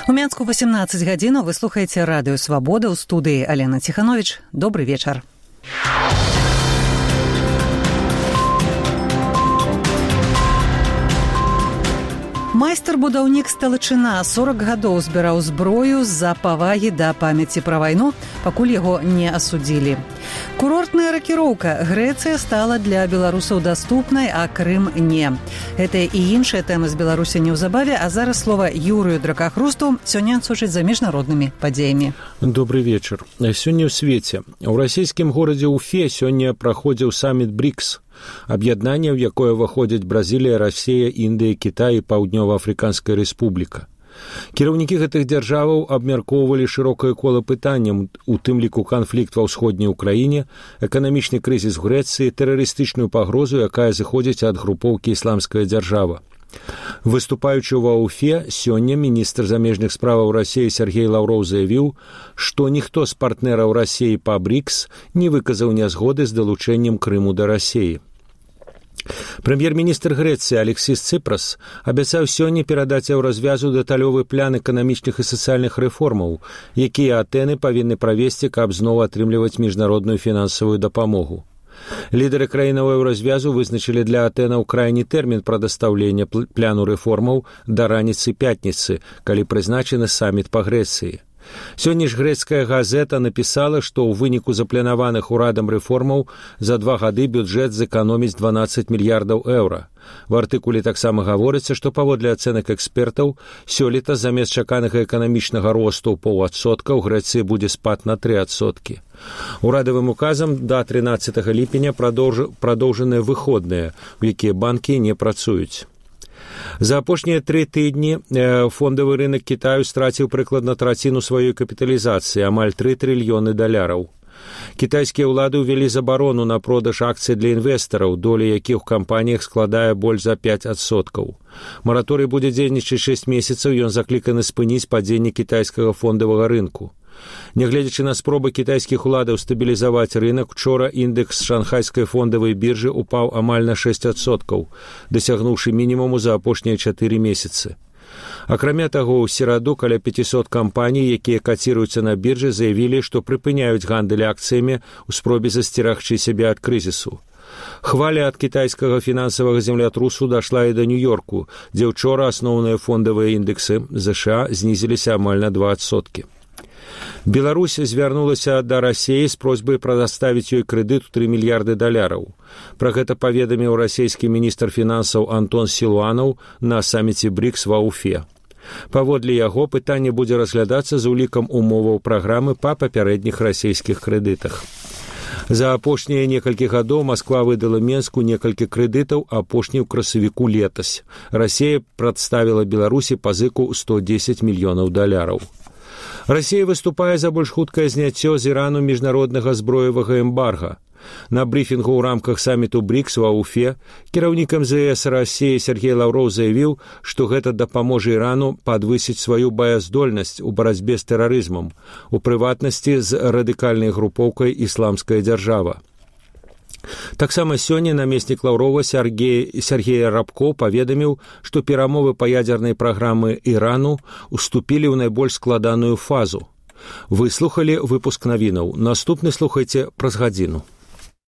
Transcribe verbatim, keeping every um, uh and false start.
У Мінску вісімнадцять гадзінаў, вы слухаеце радыё Свабода, ў студыі Алена Ціхановіч. Добры вечар. Майстар-будаўнік Сталычына сорок гадоў збіраў зброю з-за павагі да памяці пра вайну, пакуль яго не асудзілі. Курортная ракіроўка. Грэцыя стала для беларусаў даступнай, а Крым не. Гэтая і іншая тэма з Беларусі неўзабаве, а зараз слова Юрыю Дракахрусту, сёння сочыць за міжнароднымі падзеямі. Добрый вечар. Сёння ў свеце. У расійскім горадзе Уфе сёння праходзіў саміт брикс. Аб'яднанне, ў якое ўваходзяць Бразілія, Расія, Індыя, Кітай і Паўднёва-Афрыканская рэспубліка. Кіраўнікі гэтых дзяржаваў абмяркоўвалі шырокае кола пытанняў, у тым ліку канфлікт ва ўсходняй Украіне, эканамічны крызіс у Грэцыі, тэрарыстычную пагрозу, якая зыходзіць ад групоўкі «Ісламская дзяржава». Выступаючы ва Уфе, сёння міністр замежных справаў Расіі Сергей Лаўроў заявіў, што ніхто з партнераў Расіі па брикс не выказаў нязгоды з далучэннем Крыму да Расіі. Прэм'ер-міністр Грэцыі Алексіс Цыпрас абяцаў сёння перадаць еўразвязу дэталёвы план эканамічных і сацыяльных рэформаў, якія Атэны павінны правесці, каб зноў атрымліваць міжнародную фінансавую дапамогу. Лідары краінаў еўразвязу вызначылі для Атэнаў крайні тэрмін прадастаўлення пляну рэформаў да раніцы пятніцы, калі прызначаны саміт па Грэцыі. Сёння ж грэцкая газета напісала, што ў выніку запланаваных урадам рэформаў за два гады бюджэт зэканоміць дванаццаць мільярдаў еўра. В артыкуле таксама гаворыцца, што паводле ацэнак экспертаў, сёлета замест чаканага эканамічнага росту ў паўадсотка ў Грэцыі будзе спад на тры адсоткі. Урадавым указам да трынаццатага ліпеня прадоўж... прадоўжаныя выходныя, у якія банкі не працуюць. За апошнія тры тыдні фондавы рынок Кітаю страціў прыкладна траціну сваёй капіталізацыі, амаль тры трыльёны даляраў. Кітайскія ўлады ўвялі забарону на продаж акцый для інвестараў, доля якіх у кампаніях складае больш за пяць адсоткаў. Мараторый будзе дзейнічаць шэсць месяцаў, ён закліканы спыніць падзенне кітайскага фондавага рынку. Нягледзячы на спробы кітайскіх уладаў стабілізаваць рынок, учора індекс шанхайскай фондавай біржы упаў амаль на шэсць адсоткаў, дасягнуўшы мінімуму за апошнія чатыры месяцы. Акрамя таго, у сераду каля пяцісот кампаній, якія каціруюцца на біржы, заявілі, што прыпыняюць гандаль акцыямі ў спробе засцерагчы сябе ад крызісу. Хваля ад кітайскага фінансавага землятрусу дашла і да Нью-Йорку, дзе ўчора асноўныя фондавыя індексы ЗША знізіліся амаль на два адсоткі. Беларусь звярнулася да Расіі з просьбай прадаставіць ёй крэдыт у тры мільярды даляраў. Пра гэта паведаміў расійскі міністр фінансаў Антон Сілуанаў на саміце брикс ва Уфе. Паводле яго пытанне будзе разглядацца з улікам умоваў праграмы па папярэдніх расійскіх крэдытах. За апошнія некалькі гадоў Масква выдала Менску некалькі крэдытаў, апошні ў красавіку летась. Расія прадставіла Беларусі пазыку сто дзесяць мільёнаў даляраў. Расія выступае за больш хуткае зняццё з Ірану міжнароднага зброевага эмбарга. На брыфінгу ў рамках саміту брикс ва Уфе кіраўнік эм зэ эс Расіі Сергей Лаўроў заявіў, што гэта дапаможа Ірану падвысіць сваю баяздольнасць у барацьбе з тэрарызмам, у прыватнасці з радыкальнай групоўкай «Ісламская дзяржава». Таксама сёння намеснік Лаўрова Сергей, Сергей Рабко паведаміў, што перамовы па ядзернай праграмы Ірану уступілі ў найбольш складаную фазу. Вы слухалі выпуск навінаў. Наступны слухайце праз гадзіну.